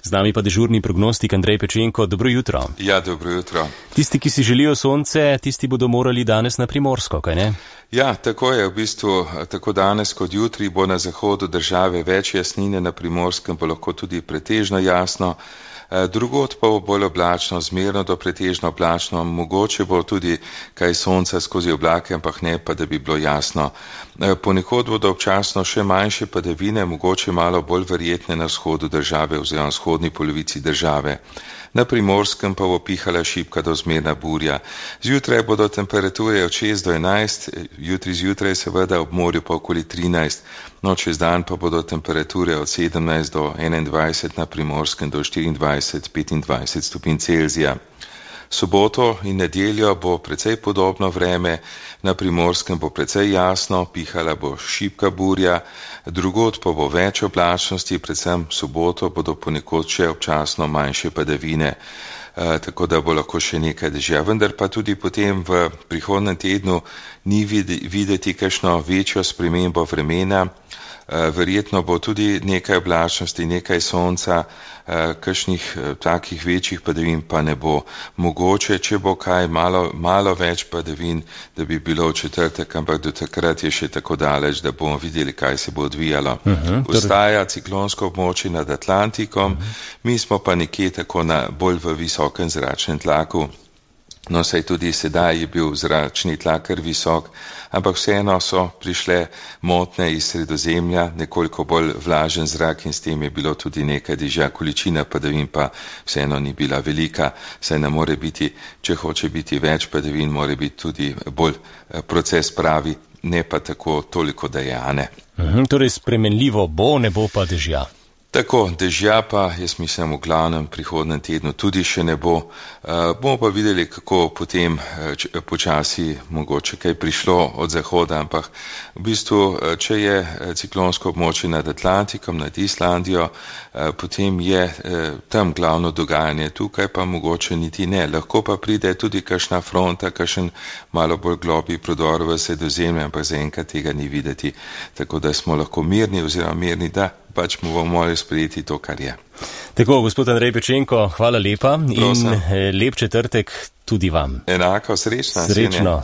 Z nami pa dežurni prognostik Andrej Pečenko. Dobro jutro. Ja, dobro jutro. Tisti, ki si želijo sonce, tisti bodo morali danes na Primorsko, kaj ne? Ja, tako je v bistvu, tako danes kot jutri bo na zahodu države več jasnine, na Primorskem bo lahko tudi pretežno jasno. Drugod pa bo bolj oblačno, zmerno do pretežno oblačno, mogoče bo tudi kaj sonca skozi oblake, ampak ne pa, da bi bilo jasno. Ponekod bodo občasno še manjše padavine, mogoče malo bolj verjetne na vzhodu države oziroma vzhodni polovici države. Na Primorskem pa bo pihala šibka do zmerna burja. Zjutraj bodo temperature od 6 do 11, jutri zjutraj seveda ob morju pa okoli 13, no čez dan pa bodo temperature od 17 do 21, na Primorskem do 24-25 stopinj Celzija. Soboto in nedeljo bo precej podobno vreme, na Primorskem bo precej jasno, pihala bo šibka burja, drugod pa bo več oblačnosti, predvsem soboto bodo ponekod še občasno manjše padavine, tako da bo lahko še nekaj dežja. Vendar pa tudi potem v prihodnjem tednu ni videti kakšno večjo spremembo vremena. Verjetno bo tudi nekaj oblačnosti, nekaj sonca, kakšnih takih večjih padavin pa ne bo. Mogoče, če bo kaj malo več padavin, da bi bilo v četrtek, ampak do takrat je še tako daleč, da bomo videli, kaj se bo odvijalo. Ostaja ciklonsko območje nad Atlantikom, mi smo pa nekje tako bolj v visokem zračnem tlaku. No, saj tudi sedaj je bil zračni tlak kar visok, ampak vseeno so prišle motnje iz Sredozemlja, nekoliko bolj vlažen zrak in s tem je bilo tudi nekaj dežja, količina padavin pa vseeno ni bila velika, saj ne more biti, če hoče biti več padavin, more biti tudi bolj proces pravi, ne pa tako toliko dejane. Torej spremenljivo bo, ne bo pa dežja. Tako, dežja pa, jaz mislim, v glavnem prihodnem tednu tudi še ne bo. Bomo pa videli, kako potem počasi mogoče kaj prišlo od zahoda, ampak v bistvu, če je ciklonsko območje nad Atlantikom, nad Islandijo, potem je tam glavno dogajanje, tukaj pa mogoče niti ne. Lahko pa pride tudi kakšna fronta, kakšen malo bolj globlji prodor v Sredozemlje, ampak zaenkrat tega ni videti. Tako da smo lahko mirni, da pač mu bomo morali sprejeti to, kar je. Tako, gospod Andrej Pečenko, hvala lepa in lep četrtek tudi vam. Enako, srečno. Srečno.